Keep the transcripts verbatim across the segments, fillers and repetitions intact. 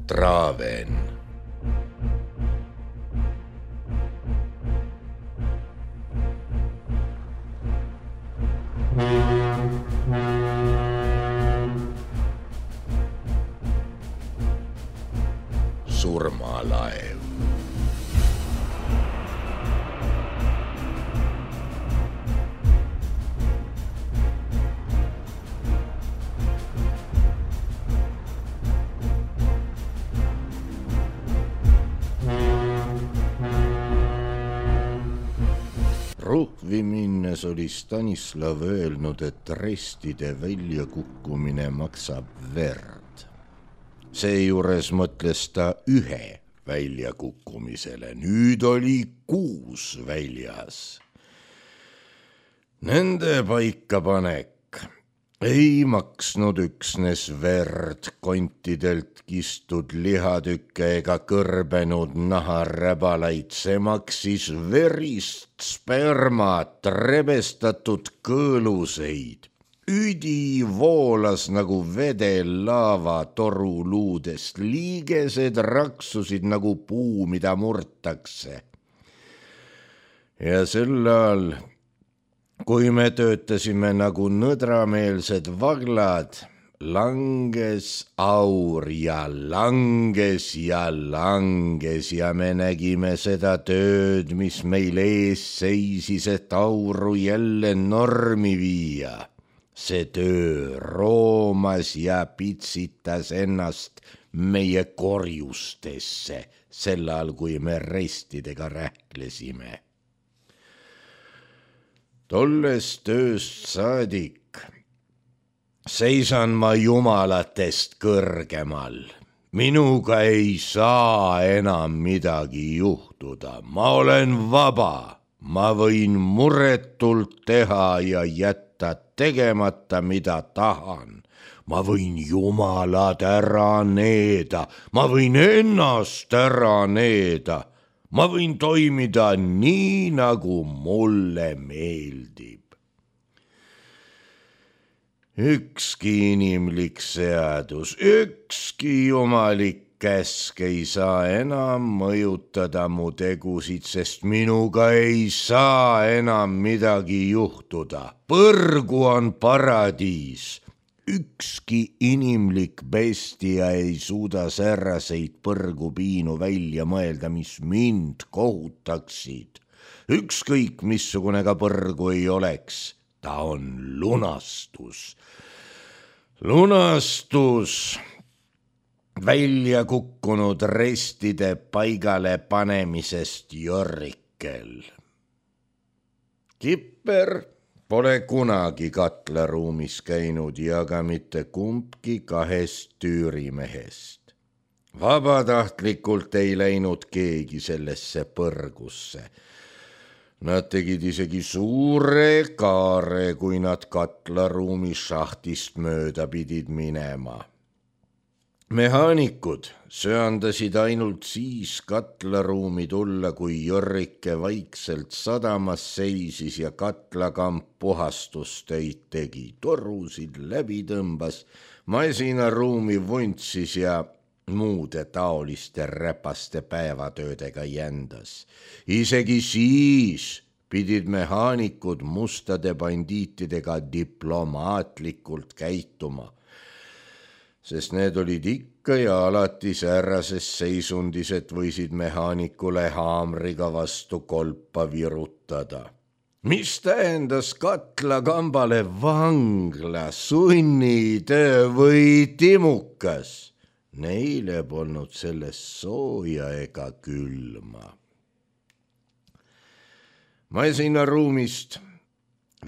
Traven. Surmalaev. Ruhvi minnes oli Stanislav öelnud, et restide väljakukkumine maksab verd. Seejuures mõtles ta ühe väljakukkumisele. Nüüd oli kuus väljas. Nende paikapanek ei maksnud üksnes verd, kontidelt kistud lihatükke ega kõrbenud naharäbalaid. See maksis verist spermat, rebestatud kõõluseid. Üdi voolas nagu vedel laava toruluudest, liigesed raksusid nagu puu, mida murtakse. Ja sel ajal, kui me töötasime nagu nõdrameelsed vaglad, langes aur ja langes ja langes ja me nägime seda tööd, mis meil ees seisis, et auru jälle normi viia. See töö roomas ja pitsitas ennast meie korjustesse, sel ajal, kui me restidega rähklesime. Tollest tööst saadik seisan ma jumalatest kõrgemal. Minuga ei saa enam midagi juhtuda. Ma olen vaba. Ma võin muretult teha ja jätta tegemata, mida tahan. Ma võin jumalad ära needa. Ma võin ennast ära needa. Ma võin toimida nii, nagu mulle meeldib. Ükski inimlik seadus, ükski jumalik käsk ei saa enam mõjutada mu tegusid, sest minuga ei saa enam midagi juhtuda. Põrgu on paradiis. Ükski inimlik bestia ei suuda säraseid põrgupiinu välja mõelda, mis mind kohutaksid. Ükskõik missugune ka põrgu ei oleks, ta on lunastus. Lunastus välja kukkunud restide paigale panemisest Jorrikel. Kipper pole kunagi katlaruumis käinud ja ka mitte kumbki kahest tüürimehest. Vabatahtlikult ei läinud keegi sellesse põrgusse. Nad tegid isegi suure kaare, kui nad katlaruumi šahtist mööda pidid minema. Mehaanikud söandasid ainult siis katlaruumi tulla, kui Jorrike vaikselt sadamas seisis ja katlakamp puhastustöid tegi. Torusid läbi tõmbas, masinaruumi vuntsis ja muude taoliste räpaste päevatöödega jändas. Isegi siis pidid mehaanikud mustade bandiitidega diplomaatlikult käituma, sest need olid ikka ja alati säärses seisundis, et võisid mehaanikule haamriga vastu kolpa virutada. Mis tähendas katlakambale vangla, sunnitöö või timukas? Neile polnud sellest sooja ega külma. Masinaruumist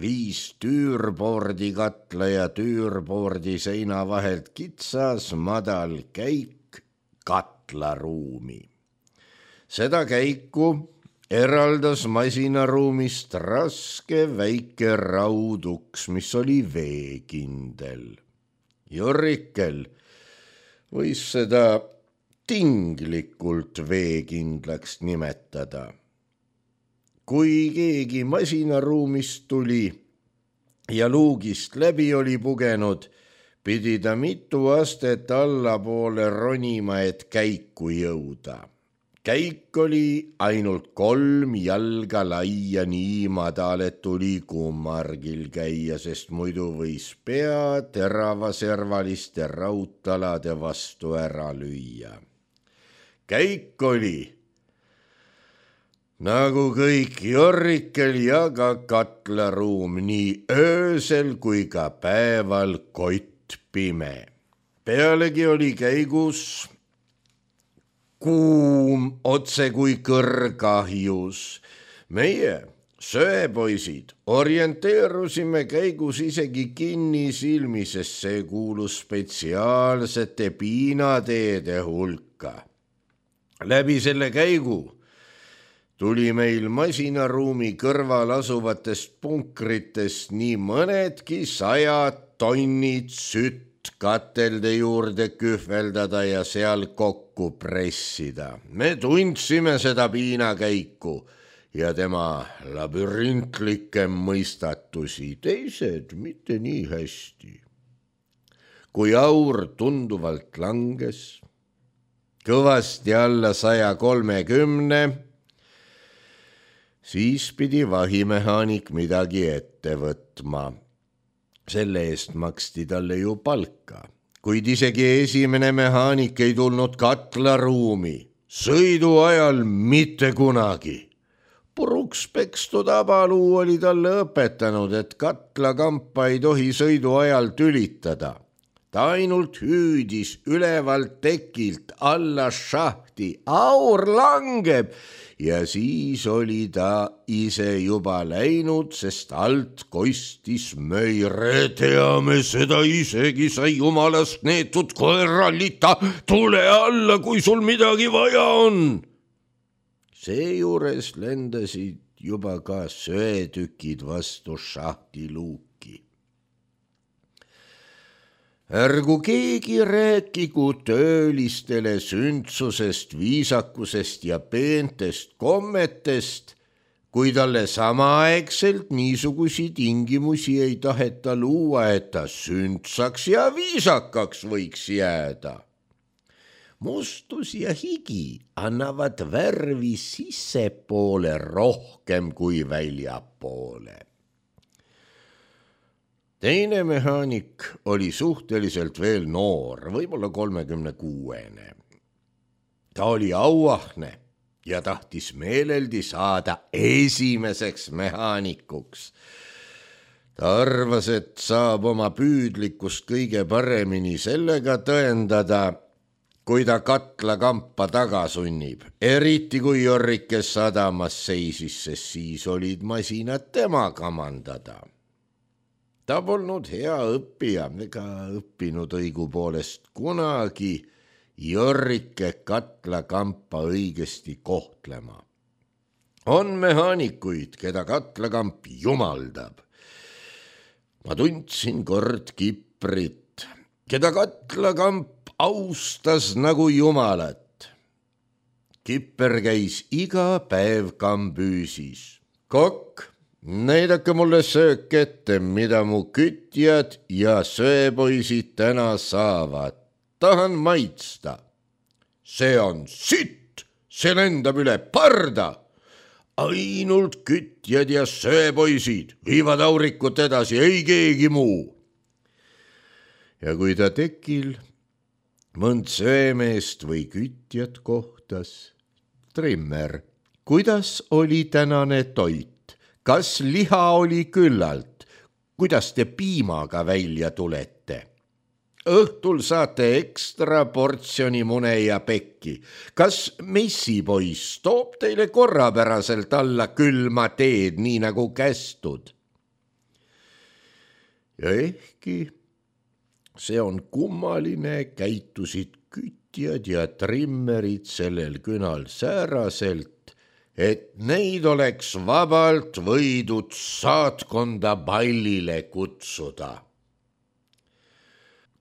viis tüürboordi katla ja tüürboordi seina vahelt kitsas madal käik katlaruumi. Seda käiku eraldas masinaruumist raske väike rauduks, mis oli veekindel. Jorrikel võis seda tinglikult veekindlaks nimetada. Kui keegi masinaruumist tuli ja luugist läbi oli pugenud, pidi ta mitu astet allapoole ronima, et käiku jõuda. Käik oli ainult kolm jalga laia nii madal, et tuli kummargil käia, sest muidu võis pea teravaservaliste raudtalade vastu ära lüüa. Käik oli nagu kõik Jorrikel ja ka katlaruum, nii öösel kui ka päeval kott pime. Pealegi oli käigus kuum otse kui kõrgahjus. Meie, söepoisid, orienteerusime käigus isegi kinni silmi, sest see kuulus spetsiaalsete piinateede hulka. Läbi selle käigu tuli meil masinaruumi kõrval asuvatest punkritest nii mõnedki sajad tonnid sütt katelde juurde kühveldada ja seal kokku pressida. Me tundsime seda piinakäiku ja tema labürintlikke mõistatusi, teised mitte nii hästi. Kui aur tunduvalt langes, kõvasti alla saja kolmekümne, siis pidi vahimehaanik midagi ette võtma. Selle eest maksti talle ju palka, kuid isegi esimene mehaanik ei tulnud katlaruumi, sõidu ajal mitte kunagi. Puruks pekstud abaluu oli talle õpetanud, et katlakampa ei tohi sõidu ajal tülitada. Ta ainult hüüdis ülevalt tekilt alla šahti, aur langeb, ja siis oli ta ise juba läinud, sest alt kostis möire, teame seda isegi, sa jumalast neetud koerallita, tule alla, kui sul midagi vaja on. Seejuures lendasid juba ka söetükid vastu šahti luuki. Ärgu keegi rääkigu töölistele sündsusest, viisakusest ja peentest kommetest, kui talle samaaegselt niisugusi tingimusi ei taheta luua, et ta sündsaks ja viisakaks võiks jääda. Mustus ja higi annavad värvi sissepoole rohkem kui väljapoole. Teine mehaanik oli suhteliselt veel noor, võib-olla kolmekümne kuuene. Ta oli auahne ja tahtis meeleldi saada esimeseks mehaanikuks. Ta arvas, et saab oma püüdlikkust kõige paremini sellega tõendada, kui ta katlakampa taga sunnib, eriti kui Jorrikes sadamas seisis, sest siis olid masinad tema kamandada. Ta polnud hea õppija, ega õppinud õigupoolest kunagi Jorrike katlakampa õigesti kohtlema. On mehaanikuid, keda katlakamp jumaldab. Ma tundsin kord Kiprit, keda katlakamp austas nagu jumalat. Kipper käis iga päev kambüüsis. Kokk, näidake mulle söök ette, mida mu kütjad ja söepoisid täna saavad. Tahan maitsta. See on sitt, see lendab üle parda. Ainult kütjad ja söepoisid viivad aurikut edasi, ei keegi muu. Ja kui ta tekil mõnd söemeest või kütjat kohtas, Trimmer, kuidas oli tänane toit? Kas liha oli küllalt? Kuidas te piimaga välja tulete? Õhtul saate ekstra portsjoni mune ja pekki. Kas messipoiss toob teile korrapäraselt alla külma teed, nii nagu kästud? Ja ehkki see on kummaline, käitusid kütjad ja trimmerid sellel künal sääraselt, et neid oleks vabalt võidud saatkonda pallile kutsuda.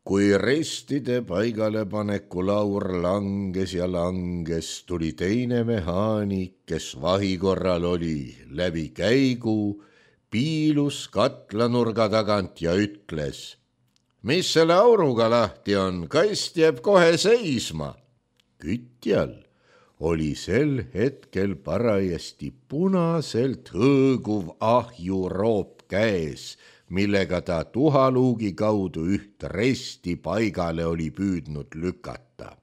Kui restide paigalepaneku laur langes ja langes, tuli teine mehaanik, kes vahikorral oli, läbi käigu, piilus katlanurga tagant ja ütles: mis selle auruga lahti on, kast jääb kohe seisma. Kütjal oli sel hetkel parajasti punaselt hõõguv ahjuroop käes, millega ta tuhaluugi kaudu üht resti paigale oli püüdnud lükata.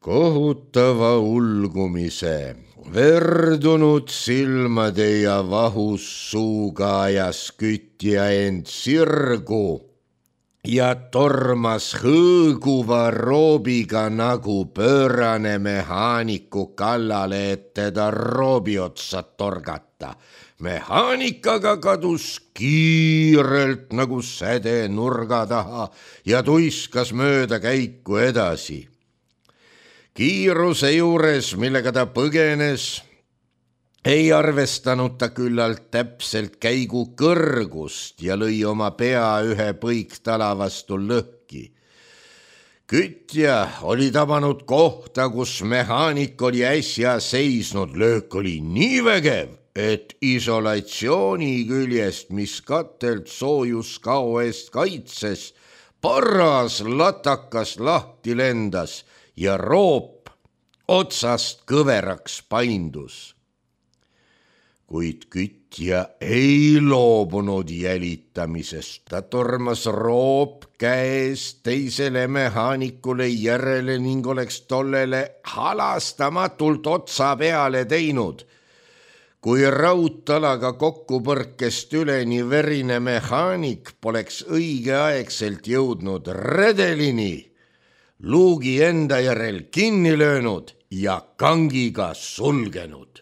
Kohutava ulgumise, verdunud silmade ja vahus suuga ajas kütja end sirgu ja tormas hõõguva roobiga nagu pöörane mehaaniku kallale, et teda roobi otsa torgata. Mehaanikaga kadus kiirelt nagu säde nurga taha ja tuiskas mööda käiku edasi. Kiiruse juures, millega ta põgenes, ei arvestanud ta küllalt täpselt käigu kõrgust ja lõi oma pea ühe põiktala vastu lõhki. Kütja oli tabanud kohta, kus mehaanik oli äsja seisnud. Löök oli nii vägev, et isolatsiooni küljest, mis katelt soojuskao eest kaitses, paras latakas lahti lendas ja roop otsast kõveraks paindus. Kuid kütja ei loobunud jälitamisest. Ta tormas roop käes teisele mehaanikule järele ning oleks tollele halastamatult otsa peale teinud. Kui raudtalaga kokkupõrkest üleni verine mehaanik poleks õigeaegselt jõudnud redelini, luugi enda järel kinni löönud ja kangiga sulgenud.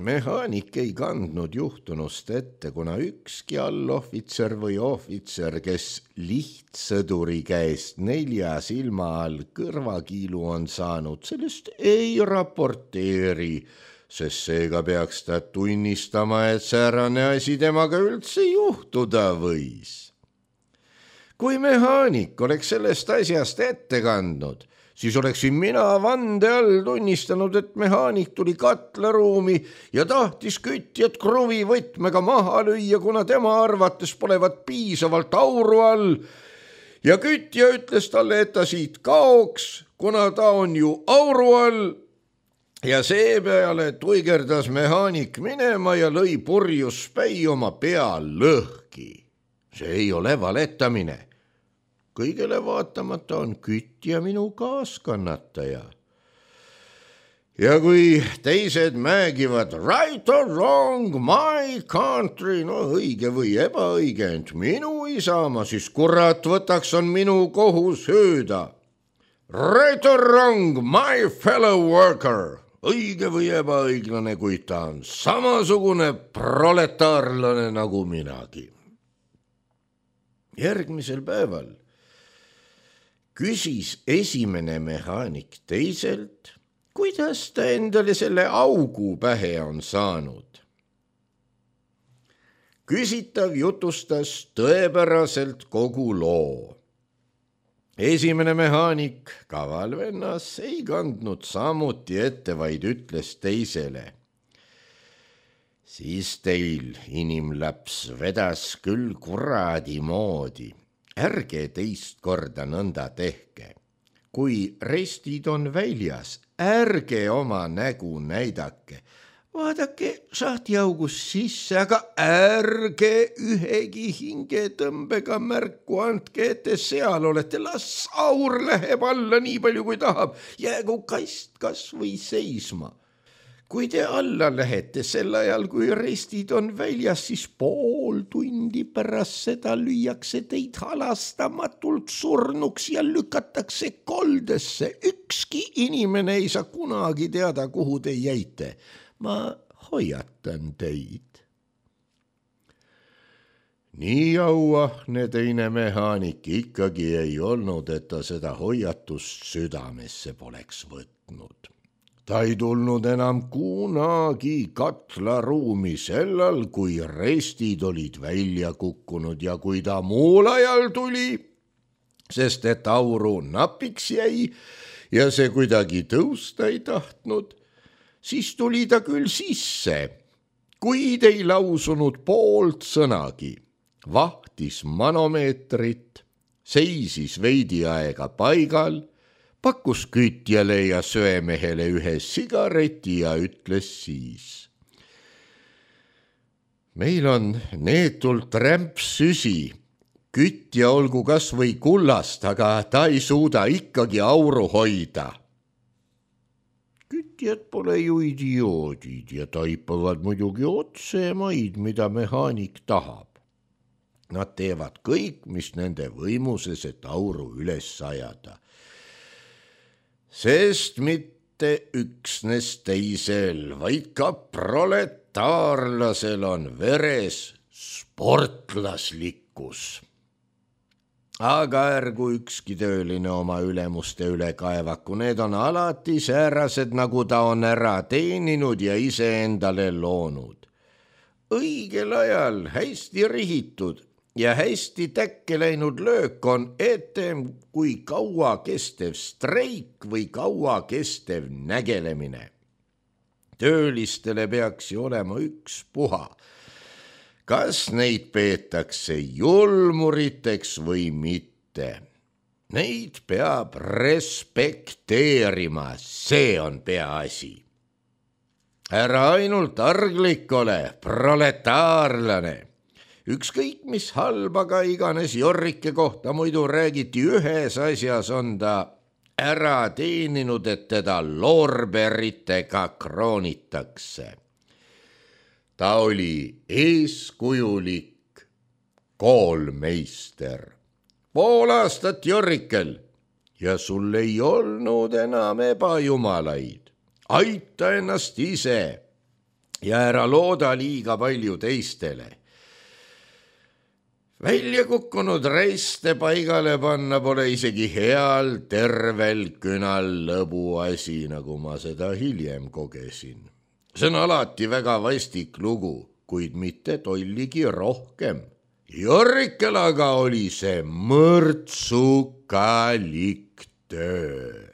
Mehaanik ei kandnud juhtunust ette, kuna ükski allohvitser või ohvitser, kes lihtsõduri käest nelja silma all kõrvakiilu on saanud, sellest ei raporteeri, sest seega peaks ta tunnistama, et säärane asi temaga üldse juhtuda võis. Kui mehaanik oleks sellest asjast ette kandnud, siis oleksin mina vande all tunnistanud, et mehaanik tuli katlaruumi ja tahtis kütjat kruvivõtmega maha lüüa, kuna tema arvates polevat piisavalt auru all. Ja kütja ütles talle, et ta siit kaoks, kuna ta on ju auru all. Ja seepeale tuigerdas mehaanik minema ja lõi purjus päi oma pea lõhki. See ei ole valetamine. Kõigele vaatamata on kütja minu kaaskannataja. Ja kui teised määgivad right or wrong, my country, no õige või ebaõige, ent minu isamaa, siis kurat võtaks on minu kohus hüüda. Right or wrong, my fellow worker, õige või ebaõiglane, kuid ta on samasugune proletaarlane nagu minagi. Järgmisel päeval küsis esimene mehaanik teiselt, kuidas ta endale selle augu pähe on saanud. Küsitav jutustas tõepäraselt kogu loo. Esimene mehaanik, kaval vennas, ei kandnud samuti ette, vaid ütles teisele. Siis teil, inimlaps, vedas küll kuradi moodi. Ärge teist korda nõnda tehke. Kui restid on väljas, ärge oma nägu näidake. Vaadake sahtiaugus sisse, aga ärge ühegi hingetõmbega märku andke, et te seal olete. Las aur läheb alla nii palju, kui tahab. Jäägu kast kas või seisma. Kui te alla lähete sel ajal, kui restid on väljas, siis pool tundi pärast seda lüüakse teid halastamatult surnuks ja lükatakse koldesse. Ükski inimene ei saa kunagi teada, kuhu te jäite. Ma hoiatan teid. Nii auahne teine mehaanik ikkagi ei olnud, et ta seda hoiatust südamesse poleks võtnud. Ta ei tulnud enam kunagi katlaruumi sellal, kui restid olid välja kukkunud ja kui ta muul ajal tuli, sest et auru napiks jäi ja see kuidagi tõusta ei tahtnud, siis tuli ta küll sisse, kuid ei lausunud poolt sõnagi, vahtis manomeetrit, seisis veidi aega paigal, pakkus kütjale ja söemehele ühe sigareti ja ütles siis. Meil on neetult rämpsüsi, kütja olgu kas või kullast, aga ta ei suuda ikkagi auru hoida. Kütjad pole ju idioodid ja taipavad muidugi otse maid, mida mehaanik tahab. Nad teevad kõik, mis nende võimuses, et auru üles ajada. Sest mitte üksnes teisel, vaid ka proletaarlasel on veres sportlaslikkus. Aga ärgu ükski tööline oma ülemuste üle kaevaku, need on alati säärased, nagu ta on ära teeninud ja iseendale loonud. Õigel ajal hästi rihitud ja hästi täkke läinud löök on etem kui kaua kestev streik või kaua kestev nägelemine. Töölistele peaks ju olema üks puha. Kas neid peetakse julmuriteks või mitte? Neid peab respekteerima, see on peaasi. Ära ainult arglik ole, proletaarlane. Ükskõik mis halba ka iganes Jorrike kohta muidu räägiti, ühes asjas on ta ära teeninud, et teda loorberitega kroonitakse. Ta oli eeskujulik koolmeister. Pool aastat Jorrikel ja sul ei olnud enam ebajumalaid. Aita ennast ise ja ära looda liiga palju teistele. Välja kukkunud reiste paigale panna pole isegi heal tervel künal lõbu asi, nagu ma seda hiljem kogesin. See on alati väga vastik lugu, kuid mitte tolligi rohkem. Jorrikel aga oli see mõrtsukalik töö.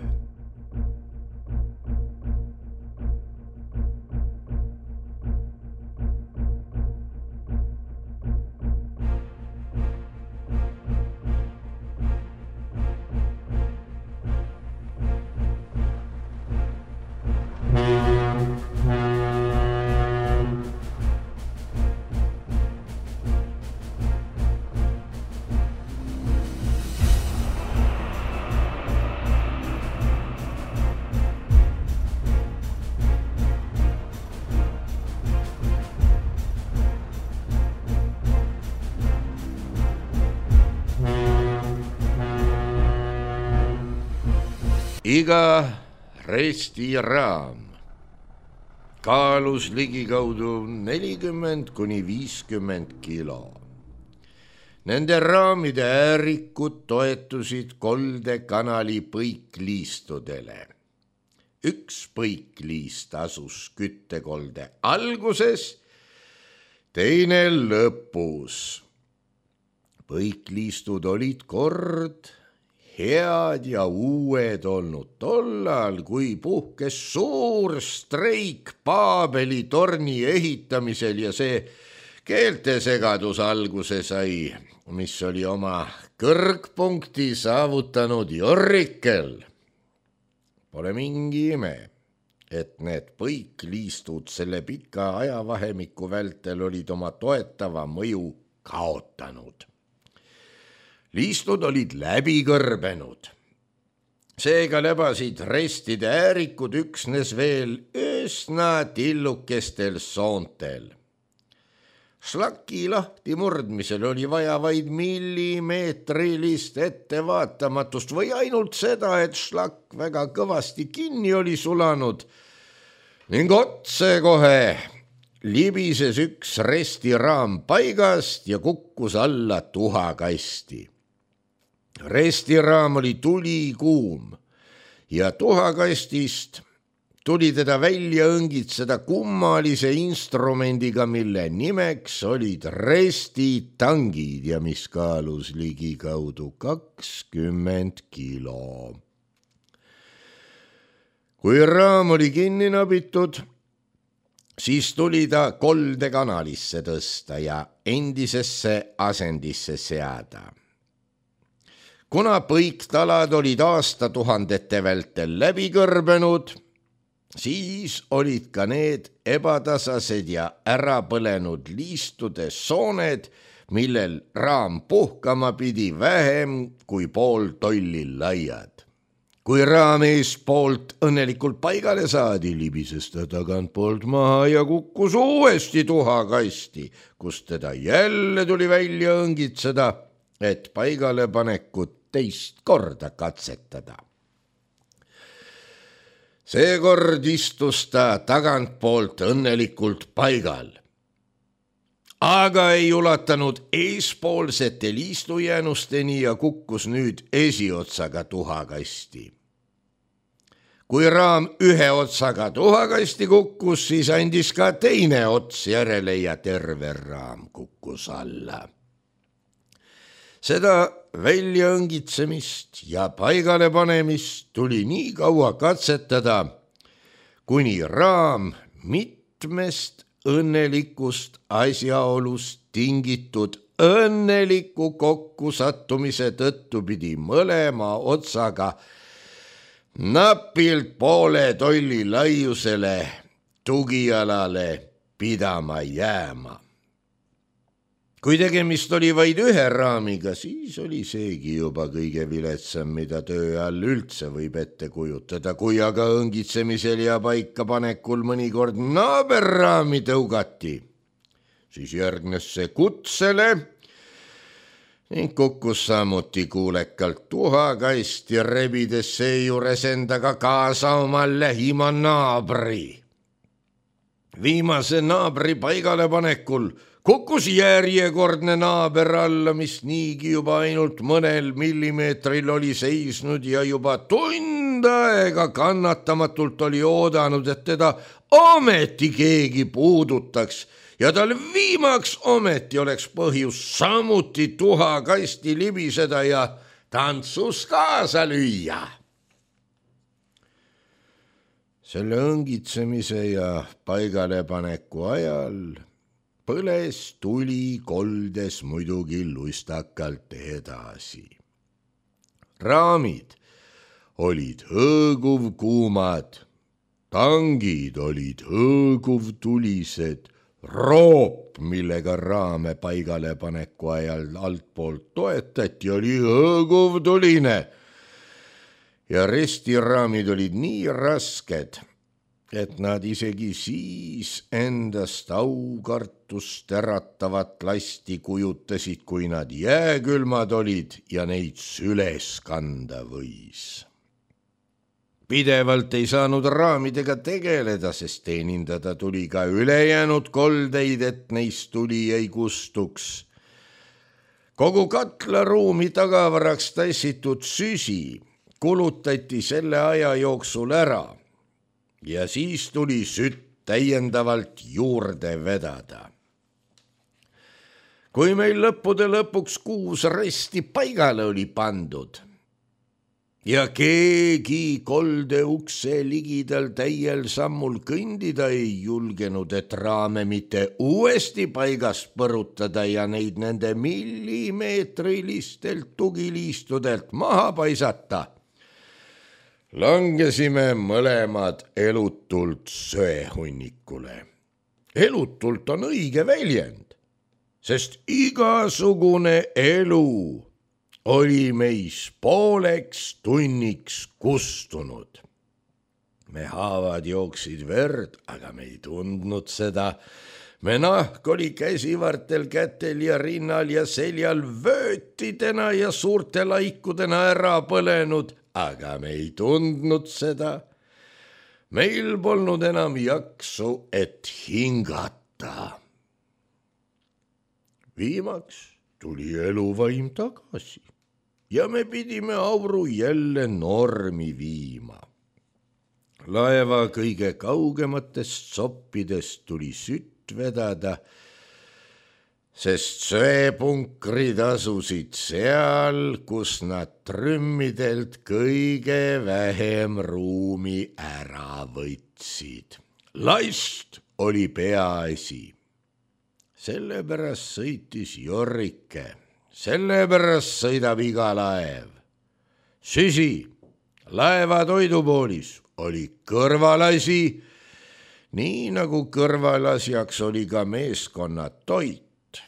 Iga restiraam kaalus ligikaudu nelikümmend kuni viiskümmend kilo. Nende raamide äärikud toetusid koldekanali põikliistudele. Üks põikliist asus küttekolde alguses, teine lõpus. Põikliistud olid kord head ja uued olnud tollal, kui puhkes suur streik Paabeli torni ehitamisel ja see keeltesegadus alguse sai, mis oli oma kõrgpunkti saavutanud Jorrikel. Pole mingi ime, et need põikliistud selle pika ajavahemiku vältel olid oma toetava mõju kaotanud. Liistud olid läbi kõrbenud. Seega lebasid restide äärikud üksnes veel üsna tillukestel soontel. Šlaki lahti murdmisel oli vaja vaid millimeetrilist ettevaatamatust või ainult seda, et šlak väga kõvasti kinni oli sulanud ning otsekohe libises üks restiraam paigast ja kukkus alla tuhakasti. Restiraam oli tulikuum ja tuhakastist tuli teda välja õngitseda kummalise instrumendiga, mille nimeks olid restitangid ja mis kaalus ligikaudu kakskümmend kilo. Kui raam oli kinni nabitud, siis tuli ta kolde kanalisse tõsta ja endisesse asendisse seada. Kuna põiktalad olid aastatuhandete vältel läbi kõrbenud, siis olid ka need ebatasased ja ära põlenud liistude sooned, millel raam puhkama pidi vähem kui pool tolli laiad. Kui raam eespoolt õnnelikult paigale saadi, libises ta tagantpoolt maha ja kukkus uuesti tuhakasti, kus teda jälle tuli välja õngitseda, et paigale panekut teist korda katsetada. Seekord istus ta tagantpoolt õnnelikult paigal, aga ei ulatanud eespoolsete liistujäänusteni ja kukkus nüüd esiotsaga tuhakasti. Kui raam ühe otsaga tuhakasti kukkus, siis andis ka teine ots järele ja terve raam kukkus alla. Seda väljaõngitsemist ja paigale panemist tuli nii kaua katsetada, kuni raam mitmest õnnelikust asjaolust tingitud õnneliku kokkusattumise tõttu pidi mõlema otsaga napilt poole tolli laiusele tugialale pidama jääma. Kui tegemist oli vaid ühe raamiga, siis oli seegi juba kõige viletsam, mida töö all üldse võib ette kujutada. Kui aga õngitsemisel ja paika panekul mõnikord naaberraami tõugati, siis järgnes see kutsele ning kukkus samuti kuulekalt tuhakasti, rebides seejuures endaga kaasa oma lähima naabri. Viimase naabri paigale panekul kukkus järjekordne naaber alla, mis niigi juba ainult mõnel millimeetril oli seisnud ja juba tund aega kannatamatult oli oodanud, et teda ometi keegi puudutaks ja tal viimaks ometi oleks põhjus samuti tuhakasti libiseda ja tantsus kaasa lüüa. Selle õngitsemise ja paigalepaneku ajal põles tuli koldes muidugi lustakalt edasi. Raamid olid hõõguv kuumad, tangid olid hõõguv tulised, roop, millega raame paigale paneku ajal altpoolt toetati, oli hõõguv tuline ja restiraamid olid nii rasked, et nad isegi siis endast aukartust äratavat lasti kujutasid, kui nad jääkülmad olid ja neid süles kanda võis. Pidevalt ei saanud raamidega tegeleda, sest teenindada tuli ka ülejäänud koldeid, et neist tuli ei kustuks. Kogu katlaruumi tagavaraks tassitud süsi kulutati selle aja jooksul ära ja siis tuli sütt täiendavalt juurde vedada. Kui meil lõppude lõpuks kuus resti paigale oli pandud ja keegi kolde ukse ligidal täiel sammul kõndida ei julgenud, et raame mitte uuesti paigast põrutada ja neid nende millimeetrilistelt tugiliistudelt maha paisata, langesime mõlemad elutult söehunnikule. Elutult on õige väljend, sest igasugune elu oli meis pooleks tunniks kustunud. Me haavad jooksid verd, aga me ei tundnud seda. Me nahk oli käsivartel, kätel ja rinnal ja seljal vöötidena ja suurte laikudena ära põlenud, aga me ei tundnud seda. Meil polnud enam jaksu, et hingata. Viimaks tuli eluvaim tagasi ja me pidime auru jälle normi viima. Laeva kõige kaugematest soppidest tuli sütt vedada, sest söepunkrid asusid seal, kus nad trümmidelt kõige vähem ruumi ära võtsid. Last oli peaasi. Sellepärast sõitis Jorrike, sellepärast sõidab iga laev. Süsi, laeva toidupoolis oli kõrvalasi, nii nagu kõrvalasjaks oli ka meeskonna toit,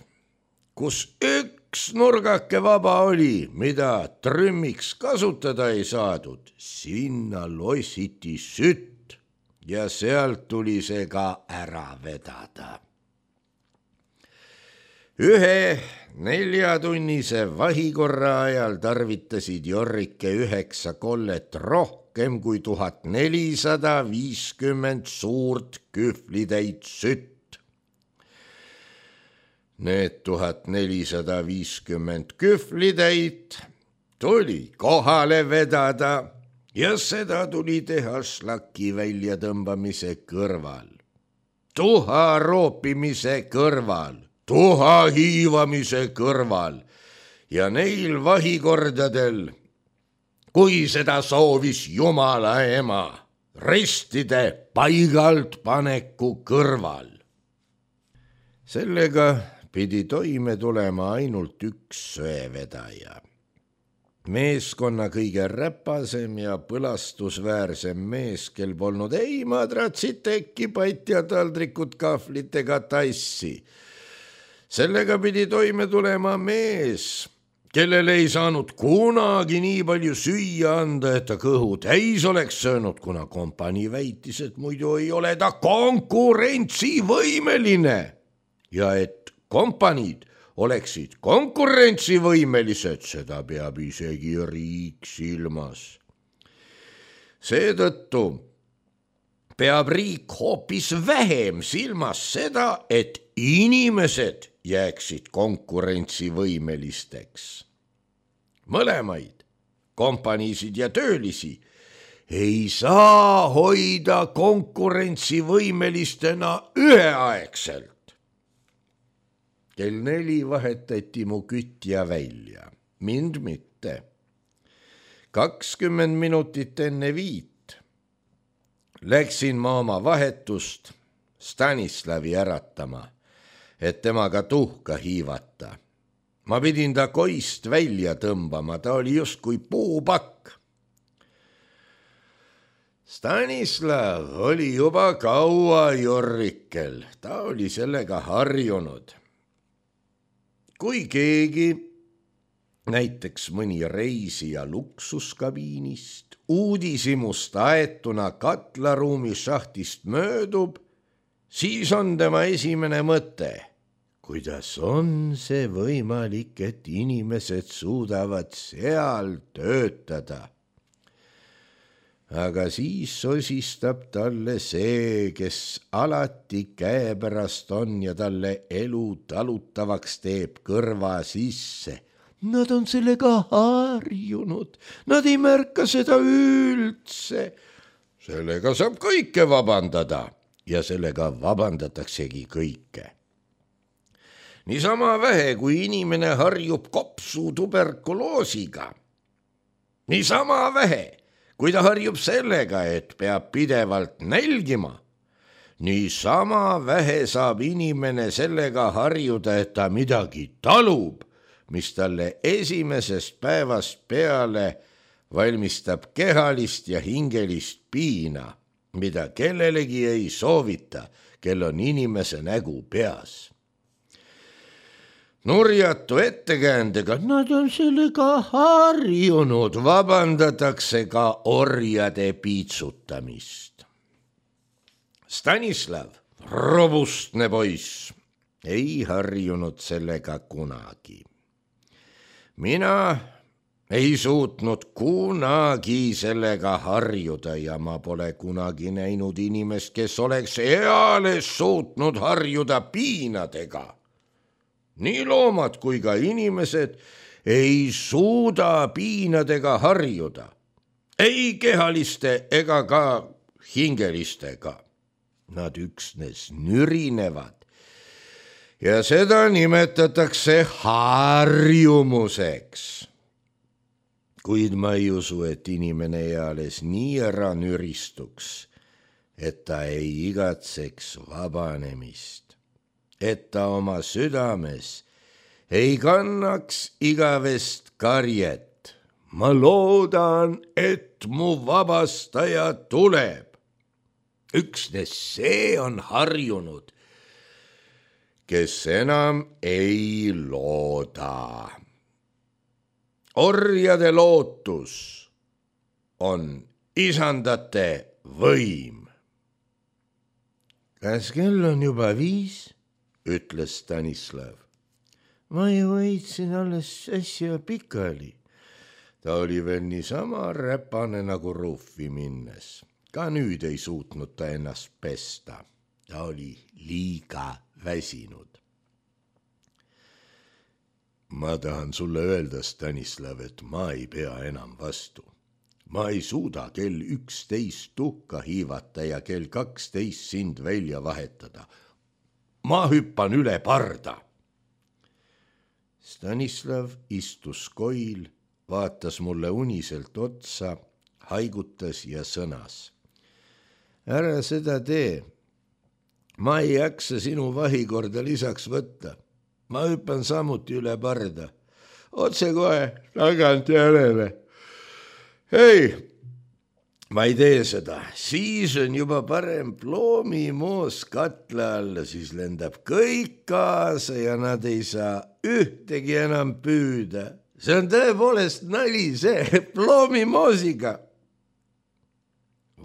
kus üks nurgake vaba oli, mida trümmiks kasutada ei saadud, sinna lossiti sütt ja sealt tuli see ka ära vedada. Ühe neljatunnise vahikorra ajal tarvitasid Jorrike üheksa kollet rohkem kui tuhat nelisada viiskümmend suurt kühvlitäit sütt. Need tuhat nelisada viiskümmend kühvlitäit tuli kohale vedada ja seda tuli teha šlaki väljatõmbamise kõrval, tuha roopimise kõrval, tuha hiivamise kõrval ja neil vahikordadel, kui seda soovis Jumala ema, ristide paigalt paneku kõrval. Sellega pidi toime tulema ainult üks söevedaja. Meeskonna kõige räpasem ja põlastusväärsem mees, kel polnud ei madratsit, tekki, patja, taldrikut, kahvlit ega tassi. Sellega pidi toime tulema mees, kellele ei saanud kunagi nii palju süüa anda, et ta kõhu täis oleks söönud, kuna kompanii väitis, et muidu ei ole ta konkurentsivõimeline ja et kompaniid oleksid konkurentsivõimelised, seda peab isegi riik silmas. Seetõttu peab riik hoopis vähem silmas seda, et inimesed jääksid konkurentsivõimelisteks. Mõlemaid, kompaniisid ja töölisi, ei saa hoida konkurentsivõimelistena üheaegselt. Kell neli vahetati mu kütja välja, mind mitte. kakskümmend minutit enne viit läksin ma oma vahetust Stanislavi äratama, et temaga tuhka hiivata. Ma pidin ta koist välja tõmbama, ta oli justkui puupakk. Stanislav oli juba kaua Jorrikel, ta oli sellega harjunud. Kui keegi, näiteks mõni reisija luksuskabiinist, uudishimust aetuna katlaruumi šahtist möödub, siis on tema esimene mõte, kuidas on see võimalik, et inimesed suudavad seal töötada. Aga siis sosistab talle see, kes alati käepärast on ja talle elu talutavaks teeb kõrva sisse. Nad on sellega harjunud, nad ei märka seda üldse. Sellega saab kõike vabandada ja sellega vabandataksegi kõike. Niisama vähe, kui inimene harjub kopsu tuberkuloosiga. Niisama vähe, kui ta harjub sellega, et peab pidevalt nälgima, niisama vähe saab inimene sellega harjuda, et ta midagi talub, mis talle esimesest päevast peale valmistab kehalist ja hingelist piina, mida kellelegi ei soovita, kel on inimese nägu peas. Nurjatu ettekäändega, nad on sellega harjunud, vabandatakse ka orjade piitsutamist. Stanislav, robustne poiss, ei harjunud sellega kunagi. Mina ei suutnud kunagi sellega harjuda ja ma pole kunagi näinud inimest, kes oleks eales suutnud harjuda piinadega. Nii loomad kui ka inimesed ei suuda piinadega harjuda, ei kehaliste ega ka hingelistega. Nad üksnes nürinevad ja seda nimetatakse harjumuseks. Kuid ma ei usu, et inimene eales nii ära nüristuks, et ta ei igatseks vabanemist, et ta oma südames ei kannaks igavest karjet. Ma loodan, et mu vabastaja tuleb. Üksnes see on harjunud, kes enam ei looda. Orjade lootus on isandate võim. Kas kell on juba viis? Ütles Stanislav. Ma ju võitsin alles äsja pikali. Ta oli veel niisama räpane nagu ruufi minnes. Ka nüüd ei suutnud ta ennast pesta. Ta oli liiga väsinud. Ma tahan sulle öelda, Stanislav, et ma ei pea enam vastu. Ma ei suuda kell üksteist tuhka hiivata ja kell kaksteist sind välja vahetada. Ma hüppan üle parda. Stanislav istus koil, vaatas mulle uniselt otsa, haigutas ja sõnas. Ära seda tee. Ma ei jaksa sinu vahikorda lisaks võtta. Ma hüppan samuti üle parda. Otse kohe tagant järele. Ei, ma ei tee seda. Siis on juba parem ploomimoos katla alla, siis lendab kõik kaasa ja nad ei saa ühtegi enam püüda. See on tõepoolest nali see ploomimoosiga.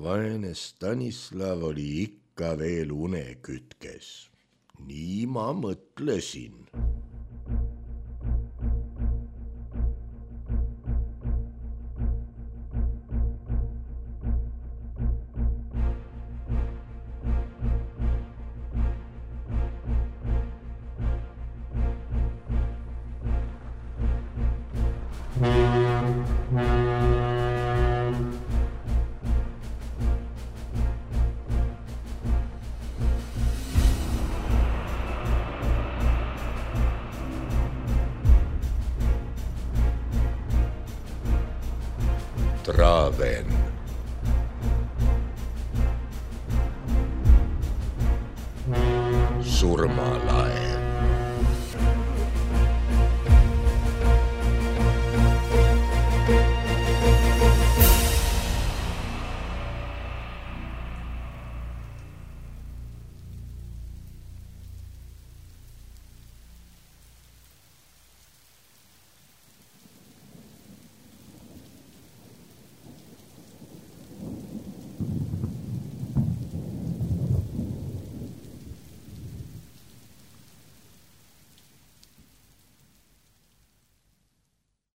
Vaene Stanislav oli ikka veel unekütkes. Nii ma mõtlesin. Traven. Surmalaev.